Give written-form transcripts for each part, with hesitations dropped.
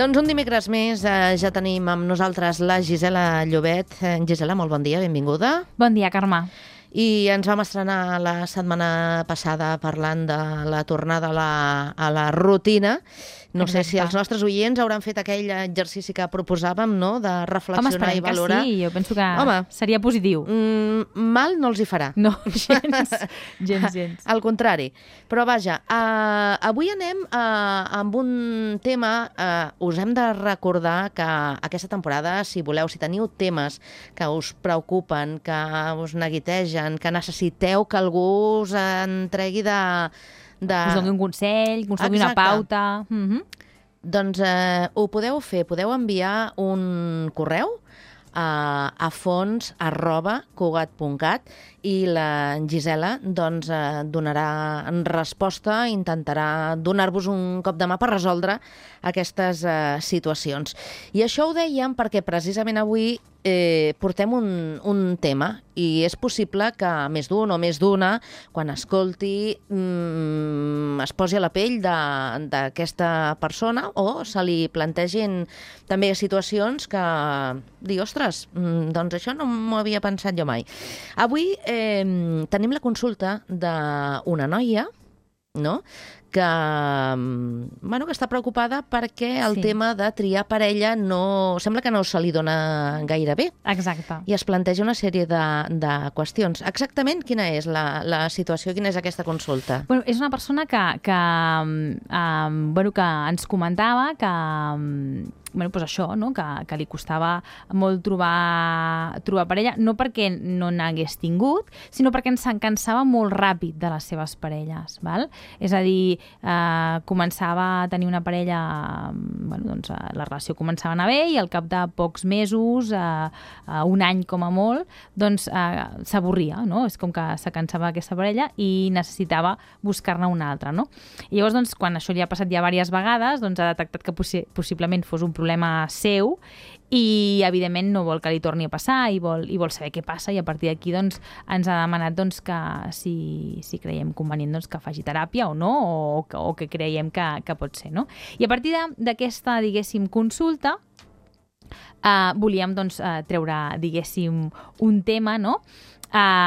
Doncs un dimecres més ja tenim amb nosaltres la Gisela Llobet. Gisela, molt bon dia, benvinguda. Bon dia, Carme. I ens vam estrenar la setmana passada parlant de la tornada a la rutina. No sé si els nostres oients hauran fet aquell exercici que proposàvem, no?, de reflexionar i valorar. Home, esperem que sí, jo penso que seria positiu. Mal no els hi farà. No, gens. Al contrari. Però vaja, avui anem amb un tema, us hem de recordar que aquesta temporada, si teniu temes que us preocupen, que us neguitegen, que necessiteu que algú us entregui us doni un consell, que us doni una pauta. Doncs ho podeu fer, podeu enviar un correu a fons@cugat.cat i la Gisela doncs, donarà resposta, intentarà donar-vos un cop de mà per resoldre aquestes situacions. I això ho dèiem perquè precisament avui portem un tema i és possible que més d'un o més d'una, quan escolti, es posi a la pell d'aquesta persona o se li plantegin també situacions que digui, ostres, doncs això no m'ho havia pensat jo mai. Avui tenim la consulta d'una noia, no?, que està preocupada perquè el tema de triar parella sembla que no se li dona gaire bé. Exacte. I es planteja una sèrie de qüestions. Exactament quina és la situació, quina és aquesta consulta? Bueno, és una persona que ens comentava que doncs això, no? Que li costava molt trobar parella, no perquè no n'hagués tingut, sinó perquè ens cansava molt ràpid de les seves parelles. Val? És a dir, començava a tenir una parella, doncs la relació començava a anar bé i al cap de pocs mesos, un any com a molt, doncs s'avorria, no? És com que se cansava aquesta parella i necessitava buscar-ne una altra, no? I llavors, doncs, quan això li ha passat ja diverses vegades, doncs ha detectat que possiblement fos un problema seu i, evidentment, no vol que li torni a passar i vol saber què passa i a partir d'aquí doncs, ens ha demanat doncs, que si creiem convenient doncs, que faci teràpia o no, o que creiem que pot ser, no? I a partir d'aquesta, diguéssim, consulta volíem doncs, treure, diguéssim, un tema, no?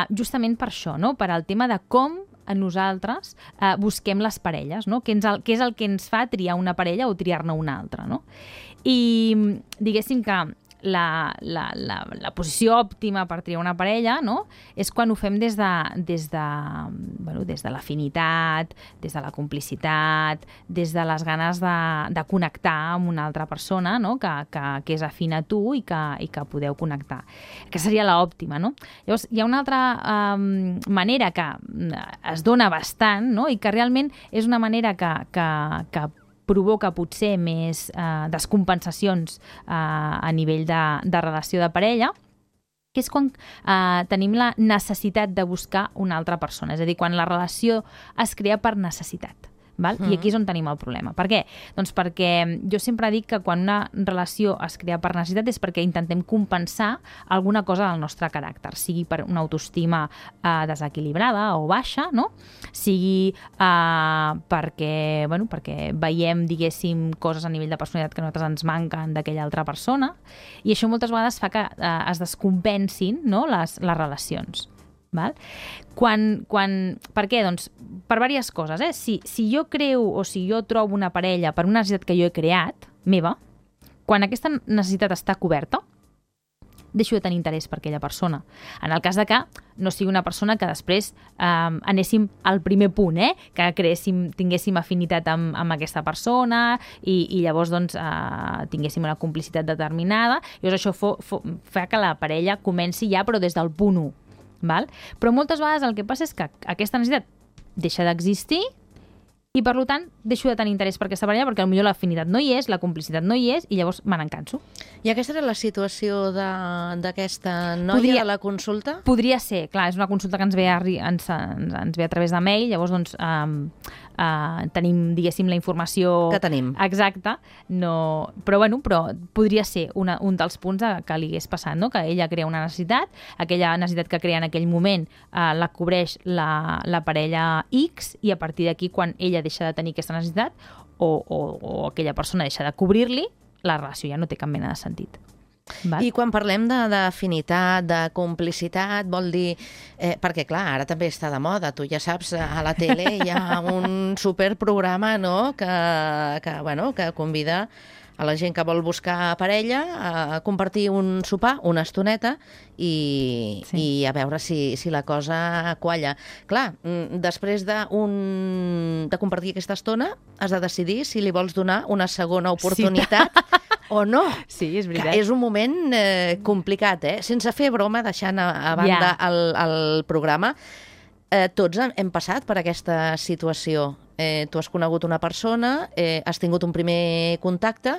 Justament per això, no? Per al tema de com nosaltres busquem les parelles, no? Què és el que ens fa triar una parella o triar-ne una altra, no? I diguéssim que la posició òptima per triar una parella, no?, és quan ho fem des de l'afinitat, des de la complicitat, des de les ganes de connectar amb una altra persona, no?, que és afina a tu i que podeu connectar. Que seria l'òptima, no? Llavors, hi ha una altra manera que es dona bastant, no?, i que realment és una manera que provoca potser més descompensacions a nivell de relació de parella, que és quan tenim la necessitat de buscar una altra persona. És a dir, quan la relació es crea per necessitat. Val? I aquí és on tenim el problema. Per què? Doncs perquè jo sempre dic que quan una relació es crea per necessitat és perquè intentem compensar alguna cosa del nostre caràcter, sigui per una autoestima desequilibrada o baixa, no? Sigui perquè veiem, diguéssim, coses a nivell de personalitat que a nosaltres ens manquen d'aquella altra persona, i això moltes vegades fa que es descompensin, no?, les relacions. Val? Per què? Doncs per diverses coses. Si jo creo o si jo trobo una parella per una necessitat que jo he creat, meva, quan aquesta necessitat està coberta, deixo de tenir interès per aquella persona. En el cas de que no sigui una persona que després anéssim al primer punt, que tinguéssim afinitat amb aquesta persona i llavors doncs, tinguéssim una complicitat determinada, llavors això fa que la parella comenci ja però des del punt 1. Val? Però moltes vegades el que passa és que aquesta necessitat deixa d'existir i, per tant, deixo de tenir interès per aquesta parella perquè potser l'afinitat no hi és, la complicitat no hi és i llavors me n'encanso. I aquesta era la situació d'aquesta noia de la consulta? Podria ser, clar, és una consulta que ens ve a través de mail, llavors doncs tenim, diguéssim, la informació que tenim. Exacta, no, però podria ser un dels punts que li hagués passat, no? Que ella crea una necessitat, aquella necessitat que crea en aquell moment la cobreix la parella X i a partir d'aquí quan ella deixa de tenir aquesta necessitat o aquella persona deixa de cobrir-li, la relació ja no té cap mena de sentit. Val? I quan parlem d'afinitat, de complicitat, vol dir... perquè, clar, ara també està de moda. Tu ja saps, a la tele hi ha un superprograma, no?, que convida a la gent que vol buscar parella a compartir un sopar, una estoneta, i a veure si la cosa qualla. Clar, després de compartir aquesta estona, has de decidir si li vols donar una segona oportunitat o no. Sí, és veritat. Que és un moment complicat, Sense fer broma, deixant a banda el programa, tots hem passat per aquesta situació. Tu has conegut una persona, has tingut un primer contacte,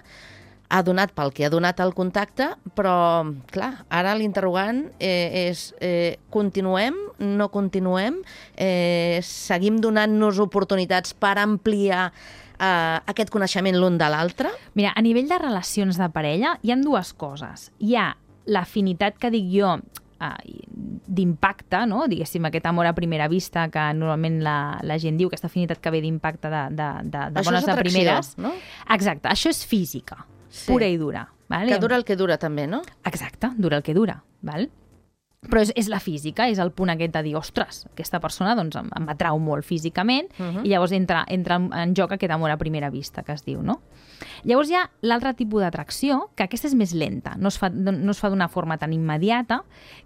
ha donat pel que ha donat el contacte, però, clar, ara l'interrogant és continuem, no continuem, seguim donant-nos oportunitats per ampliar aquest coneixement l'un de l'altre? Mira, a nivell de relacions de parella hi ha dues coses. Hi ha l'afinitat que dic jo d'impacte, no? Diguéssim, aquest amor a primera vista que normalment la gent diu, aquesta afinitat que ve d'impacte de bones de primeres. No? Exacte, això és física, pura i dura. Val? Que dura el que dura també, no? Exacte, dura el que dura. Val? Però és la física, és el punt aquest de dir, ostres, aquesta persona doncs, em atrau molt físicament, i llavors entra en joc aquest amor a primera vista que es diu, no? Llavors hi ha l'altre tipus d'atracció, que aquesta és més lenta, no es fa d'una forma tan immediata,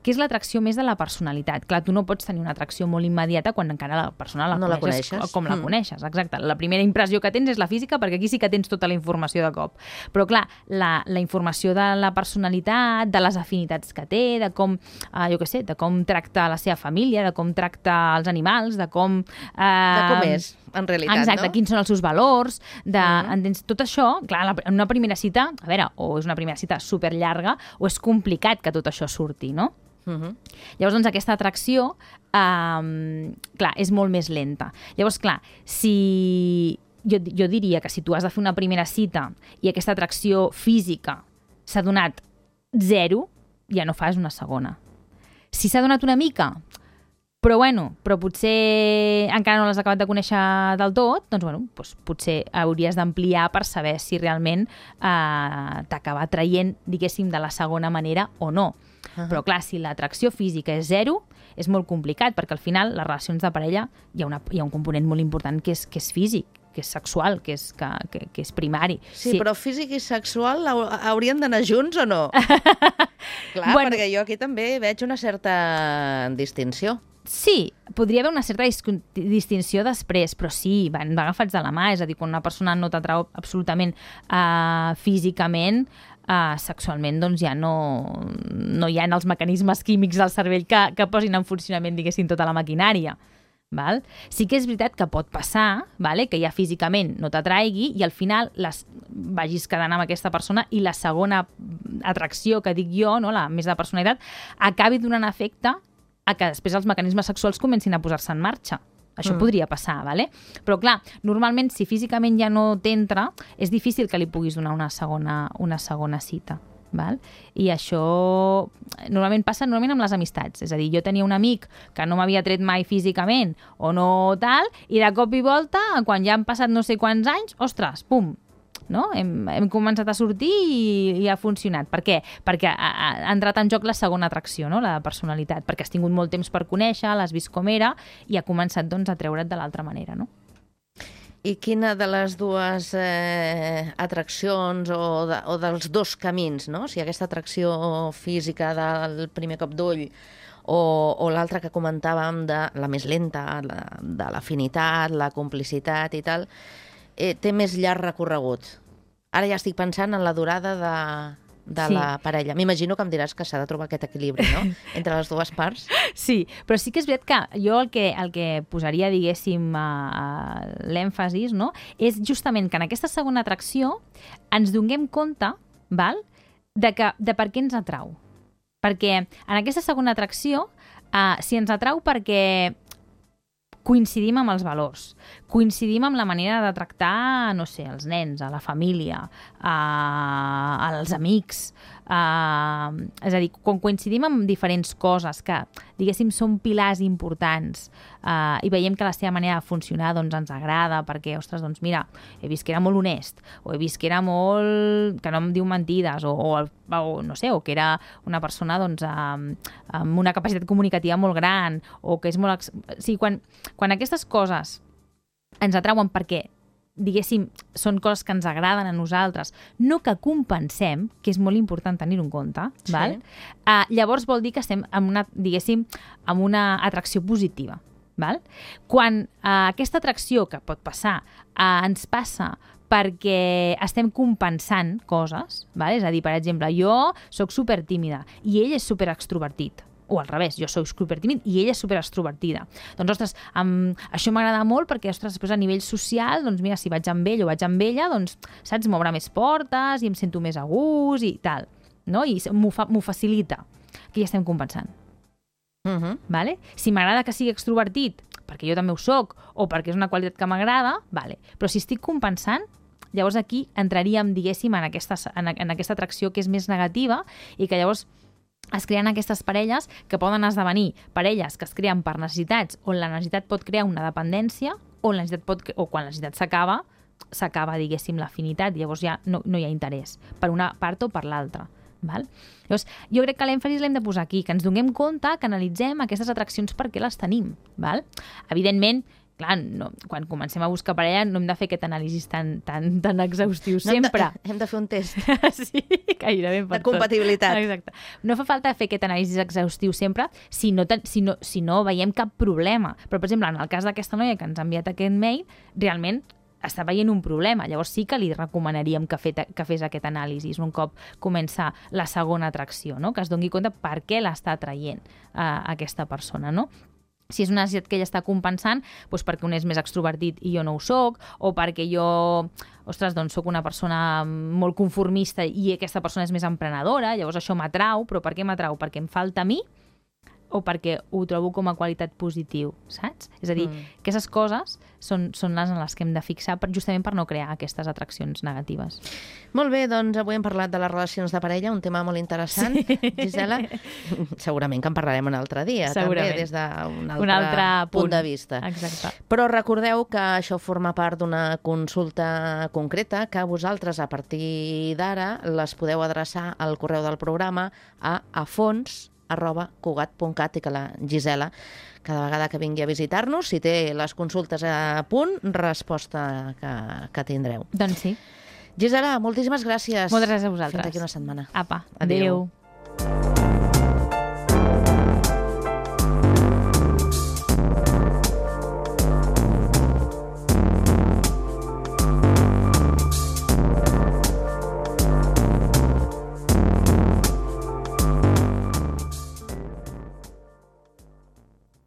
que és l'atracció més de la personalitat. Clar, tu no pots tenir una atracció molt immediata quan encara la persona la coneixes com la coneixes. Exacte. La primera impressió que tens és la física, perquè aquí sí que tens tota la informació de cop. Però clar, la informació de la personalitat, de les afinitats que té, de com, de com tracta la seva família, de com tracta els animals, de com... de com és, en realitat, exacte, no? Quins són els seus valors, tot això, clar, en una primera cita, a veure, o és una primera cita superllarga, o és complicat que tot això surti, no? Llavors, doncs, aquesta atracció, clar, és molt més lenta. Llavors, clar, si... Jo diria que si tu has de fer una primera cita i aquesta atracció física s'ha donat 0, ja no fas una segona. Si s'ha donat una mica, però potser encara no l'has acabat de conèixer del tot, doncs potser hauries d'ampliar per saber si realment t'acaba traient, diguéssim, de la segona manera o no. Però clar, si l'atracció física és 0, és molt complicat, perquè al final les relacions de parella hi ha un component molt important que és físic, que és sexual, que és primari. Sí, però físic i sexual haurien d'anar junts o no? Clar, perquè jo aquí també veig una certa distinció. Sí, podria haver una certa distinció després, però sí, van agafats de la mà, és a dir, quan una persona no t'atrau absolutament físicament, sexualment, doncs ja no hi ha els mecanismes químics del cervell que posin en funcionament, diguéssim, tota la maquinària. Val? Sí que és veritat que pot passar, vale? Que ja físicament no t'atraigui i al final vagis quedant amb aquesta persona i la segona atracció que dic jo, no? La més de personalitat, acabi donant efecte a que després els mecanismes sexuals comencin a posar-se en marxa. Això podria passar, vale? Però clar, normalment si físicament ja no t'entra, és difícil que li puguis donar una segona cita. Val? I això normalment passa amb les amistats. És a dir, jo tenia un amic que no m'havia tret mai físicament o no tal, i de cop i volta, quan ja han passat no sé quants anys, ostres, pum, no? Hem començat a sortir i ha funcionat. Per què? Perquè ha entrat en joc la segona atracció, no? La personalitat, perquè has tingut molt temps per conèixer, l'has vist com era i ha començat doncs, a treure't de l'altra manera, no? I quina de les dues atraccions o dels dos camins, no? Si aquesta atracció física del primer cop d'ull o l'altra que comentàvem de la més lenta, de l'afinitat, la complicitat i tal, té més llarg recorregut. Ara ja estic pensant en la durada de la parella. M'imagino que em diràs que s'ha de trobar aquest equilibri, no?, entre les dues parts. Sí, però sí que és veritat que jo el que posaria, diguéssim, l'èmfasis, no?, és justament que en aquesta segona atracció ens donem compte, val?, de per què ens atrau. Perquè en aquesta segona atracció, si ens atrau perquè coincidim amb els valors, coincidim amb la manera de tractar, no sé, els nens, a la família, als amics, És a dir, quan coincidim amb diferents coses que, diguéssim, són pilars importants i veiem que la seva manera de funcionar doncs, ens agrada perquè, ostres, doncs mira, he vist que era molt honest, o he vist que era molt... que no em diu mentides, o no sé, o que era una persona doncs, amb una capacitat comunicativa molt gran, o que és molt... O sigui, quan aquestes coses ens atrauen perquè, diguéssim, són coses que ens agraden a nosaltres, no que compensem, que és molt important tenir-ho en compte, sí. Val? Llavors vol dir que estem en una, diguéssim, amb una atracció positiva. Val? Quan aquesta atracció que pot passar ens passa perquè estem compensant coses, val? És a dir, per exemple, jo sóc supertímida i ell és superextrovertit, o al revés, jo soc supertímid i ella és superextrovertida. Doncs, ostres, això m'agrada molt perquè, ostres, després a nivell social, doncs mira, si vaig amb ell o vaig amb ella, doncs, saps, m'obre més portes i em sento més a gust i tal, no? I m'ho facilita, que ja estem compensant. Vale? Si m'agrada que sigui extrovertit, perquè jo també ho soc, o perquè és una qualitat que m'agrada, vale. Però si estic compensant, llavors aquí entraríem, diguéssim, en aquesta atracció que és més negativa i que llavors es creen aquestes parelles que poden esdevenir parelles que es creen per necessitats, on la necessitat pot crear una dependència, o quan la necessitat s'acaba, diguéssim, l'afinitat, llavors ja no hi ha interès, per una part o per l'altra. Val? Llavors, jo crec que l'èmfasi l'hem de posar aquí, que ens donem compte, que analitzem aquestes atraccions perquè les tenim. Val? Evidentment, clar, quan comencem a buscar parella no hem de fer aquest anàlisi tan exhaustiu sempre. Hem de fer un test. Sí, gairebé per de compatibilitat. Exacte. No fa falta fer aquest anàlisi exhaustiu sempre si no veiem cap problema. Però, per exemple, en el cas d'aquesta noia que ens ha enviat aquest mail, realment està veient un problema. Llavors sí que li recomanaríem que fes aquest anàlisi un cop comença la segona atracció, no? Que es doni compte per què l'està atraient aquesta persona, no? Si és una necessitat que ella està compensant, doncs perquè un és més extrovertit i jo no ho soc, o perquè jo, ostres, doncs soc una persona molt conformista i aquesta persona és més emprenedora, llavors això m'atrau, però per què m'atrau? Perquè em falta a mi o perquè ho trobo com a qualitat positiu, saps? És a dir, aquestes coses són les en les que hem de fixar justament per no crear aquestes atraccions negatives. Molt bé, doncs avui hem parlat de les relacions de parella, un tema molt interessant, sí. Gisela. Segurament que en parlarem un altre dia, també, des d'un altre punt de vista. Exacte. Però recordeu que això forma part d'una consulta concreta que vosaltres, a partir d'ara, les podeu adreçar al correu del programa a afons@cugat.cat i que la Gisela, cada vegada que vingui a visitar-nos, si té les consultes a punt, resposta que tindreu. Doncs sí. Gisela, moltíssimes gràcies. Moltes gràcies a vosaltres. Fins aquí una setmana. Apa, adéu.